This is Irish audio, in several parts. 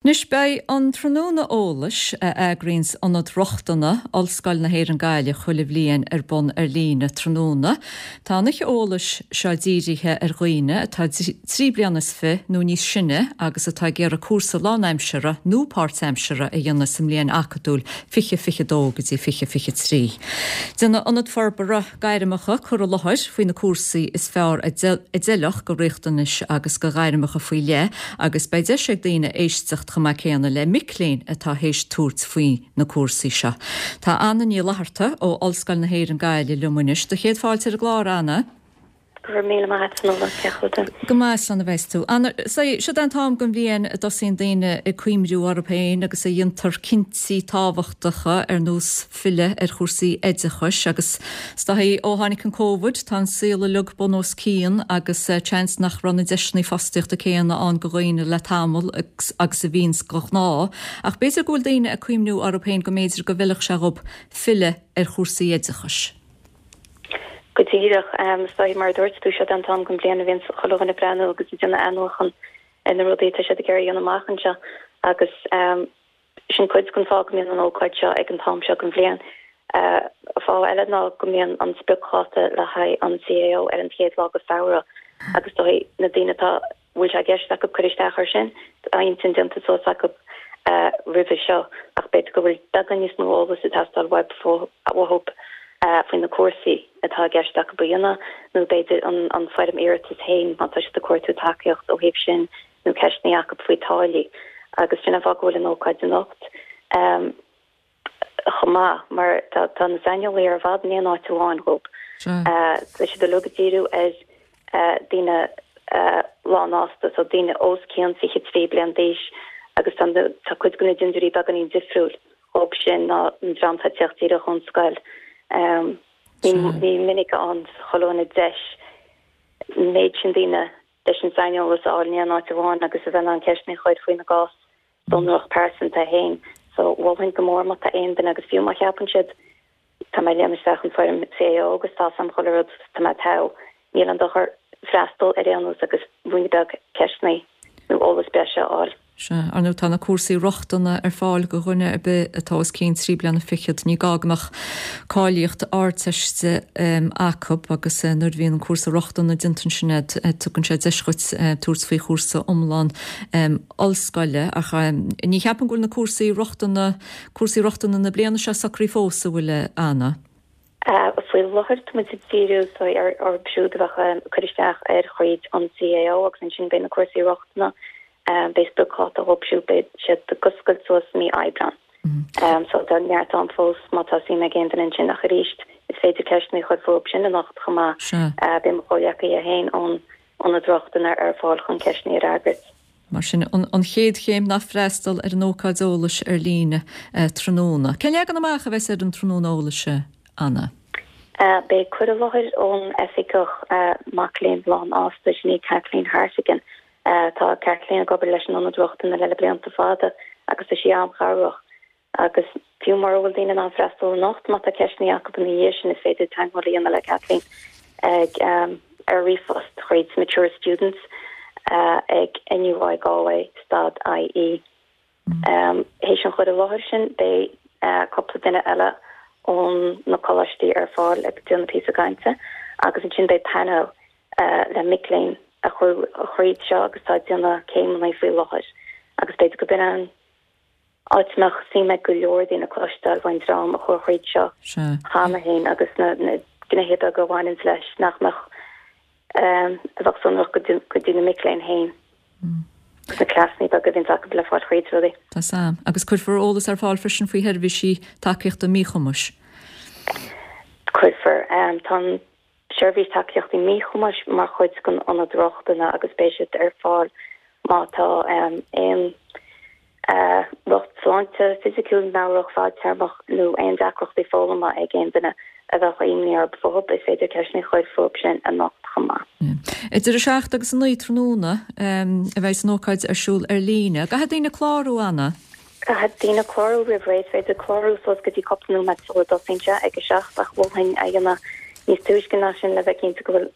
Anois beidh an tráthnóna eolais a eagraíonns Ionad Rochtana, Ollscoil na hÉireann Gaillimh chuile bhliain ar bun ar líne tráthnóna. Tá an oíche eolais seo dírithe ar dhaoine atá 23 bliana nó níos sine agus atá ag iarraidh cúrsa lánaimseartha nó páirtaimseartha a dhéanamh sa mbliain acadúil 2022 go dtí 2023. Déanfaidh Ionad Forbartha Gairmeacha cur i láthair faoi na cúrsaí is fearr a d'fheilfeadh do riachtanais agus do ghairmeacha faoi leith agus beidh deis ag daoine éisteacht chomh maith céanna le mic léinn atá théis tabhairt faoi na cúrsaí seo. Tá Anna Ní Fhlatharta ó Ollscoil na hÉireann Gaillimh liom anois. Do chéad fáilte ar an gclár, Anna. Go raibh míle maith agat, Fionnuala. Cén chaoi a bhfuil tú? Go maith, slán a bheas tú. Anna, siod é an t-am den bhliain a dtosaíonn daoine ag cuimriú orthu féin agus a dhéantar cinntí tábhachtacha ar nós filleadh ar chúrsaí oideachais agus is dóichí ó tháinig an Covid tá an saol uilig bun os cionn agus seans nach raibh na deiseanna fostaíochta céanna ann do dhaoine le tamall agus a bhíonns de ghnáth ach b'fhéidir go bhfuil daoine ag cuimhniú orthu féin go mb'fhéidir go bhfeilfeadh sé dhób filleadh ar chúrsaí oideachais. Go díreach. Is dóichí, mar a dúirt tú, siod é an t-am den bhliain a bhíonns chuile dhuine ag breathnú agus ag déanamh athnuachan ar na rudaí atá siad ag iarraidh a dhéanamh amach anseo agus sin cuid den fáth go mbíonn an ócáid seo ag an t-am seo den bhliain. Fáth eile ná go mbíonn an spriocdháta le haghaidh an CAO ar an chéad lá de Feabhra agus is dóichí na daoine atá bhfuil sé i gceist acu cur isteach air sin, tá intinn déanta suas acu roimhe seo ach b'fhéidir go bhfuil beagán níos mó eolais ag teastáil uathu faoi na cúrsaí atá i gceist acu a dhéanamh nó b'fhéidir an foirm iarratais féin má tá siad ag cuartú tacaíocht ó thaobh sin nó ceisteanna acu faoi táillí agus sin an fáth go bhfuil an ócáid anocht. chomh maith, mar tá na saineolaithe ar fad in aon áit amháin dhób. Tá siad uilig ag díriú ar daoine lánfhásta, so daoine os cionn 23 bliain d'aois agus tá cuid de na dintiúirí beagáinín difriúil dhób sin ná an dream atá ag teacht díreach ón scoil. Ní minic a fhaigheann chuile dhuine deis an méid sin daoine leis an saineolas a fháil in aon áit amháin agus a bheith in ann ceisteanna a chur faoina gcás sonrach pearsanta féin. So, mholfainn go mór má tá aon duine, agus fiú má cheapann siad, tá mé ag líonadh isteach an foirm CAO agus tá 'fhios a'm chuile rud, tá mé togha, níl aon dochar freastal ar aon nós agus ruainne beag ceisteanna nó eolas breise a fháil. Sea, ar ndóigh tá na cúrsaí rochtana ar fáil do dhuine ar bith atá os cionn 3 bliana fichead. Ní gá go mbeadh cáilíocht Ardteiste acu agus nuair a bhíonn an cúrsa rochtana déanta ansin agat, tugann sé deis dhuit tabhairt faoi chúrsa iomlán ollscoile ach ní cheapaim go bhfuil na cúrsaí rochtana, cúrsaí rochtana na bliana seo socraithe fós, an bhfuil, a Anna? Faoi láthair tá muid ag díriú orthu siúd a bheadh ag cur isteach ar thríd an CAO agus ansin beidh na cúrsaí rochtana, beidh spriocdháta dhóibh siúd, beidh siad ag oscailt suas mí Aibreán. So tá neart am fós má tá suim ag aon duine ansin ach arís is féidir ceisteanna a chur fúthu sin anocht chomh maith. Beidh mo chomhghleacaithe féin ón Ionad Rochtana ar fáil chun ceisteanna a fhreagairt. Mar sin, an chéad chéim ná freastal ar an ócáid eolais ar líne tráthnóna. Cén leagan amach a bheas ar an tráthnóna eolais, Anna? Beidh cur i láthair ón Oifigeach Mac Léinn Lánfhásta, sin í Kathleen Hartigan. Tá Kathleen ag obair leis an Ionad Rochtana le blianta fada agus tá sí an-chabhrach. Agus fiú mura bhfuil daoine in ann freastal anocht, má tá ceisteanna acu ina dhiaidh sin, is féidir teagmháil a dhéanamh le Kathleen ag ar ríomhphost thríd mature students ag NUI Galway stad IE. Théis an chur i láthair sin, beidh cúpla duine eile ón na coláistí ar fáil ag déanamh píosa cainte agus ansin beidh painéal le mic léinn a chuaigh thríd seo agus atá ag déanamh céimeanna faoi láthair agus b'fhéidir go b'in an áit a mbeadh suim ag go leor daoine cloisteáil faoin dream a chuaigh thríd seo cheana féin agus na gnéithe beaga a bhaineanns leis nach mbeadh, a bheadh sonrach go dtí na mic léinn féin agus na cleasanna beaga a bhíonns acu le fáil thríd rudaí. Tá 's a'm. Agus cuirfear eolas ar fáil freisin faoi sheirbhísí tacaíochta míchumais. Cuirfear. Tá an Seirbhís Tacaíochtaí Míchumais mar chuid den Ionad Rochtana agus beidh siad ar fáil má tá aon riocht sláinte fisiciúil, meabhrach fadtéarmach nó aon deacrachtaí foghlama ag aon duine a bheadh imní orthu fúthu. Is féidir ceisteanna a chur fúthu sin anocht chomh maith. Idir 7 agus 9 tráthnóna a bheidh an ócáid ar siúl ar líne. Caithfidh daoine clárú, Anna? Caithfidh daoine clárú roimh ré. Is féidir clárú suas go dtí cúpla nóiméad sula dtosaíonn sé ag 7 ach mholfainn é a dhéanamh níos túisce ná sin le bheith cinnte go bhfuil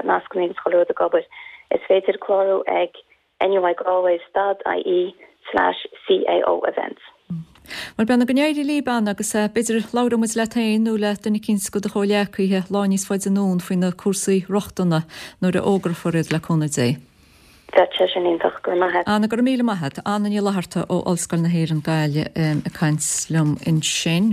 nascanna agus chuile rud ag obair. Is féidir clárú ag NUI Galway stad IE/CAO. slash CAO events. Bhuel, beannacht go n-éirí libh, Anna, agus b'fhéidir labhróidh muid leat féin nó le duine eicínt de do chomhghleacaithe lá níos faide anonn faoi na cúrsaí rochtana nuair a fhógrófar iad le cúnamh Dé. Bheadh sé sin iontach. Go raibh maith a't. Anna, go raibh míle maith a't. Anna Ní Fhlatharta ó Ollscoil na hÉireann Gaillimh ag caint liom ansin.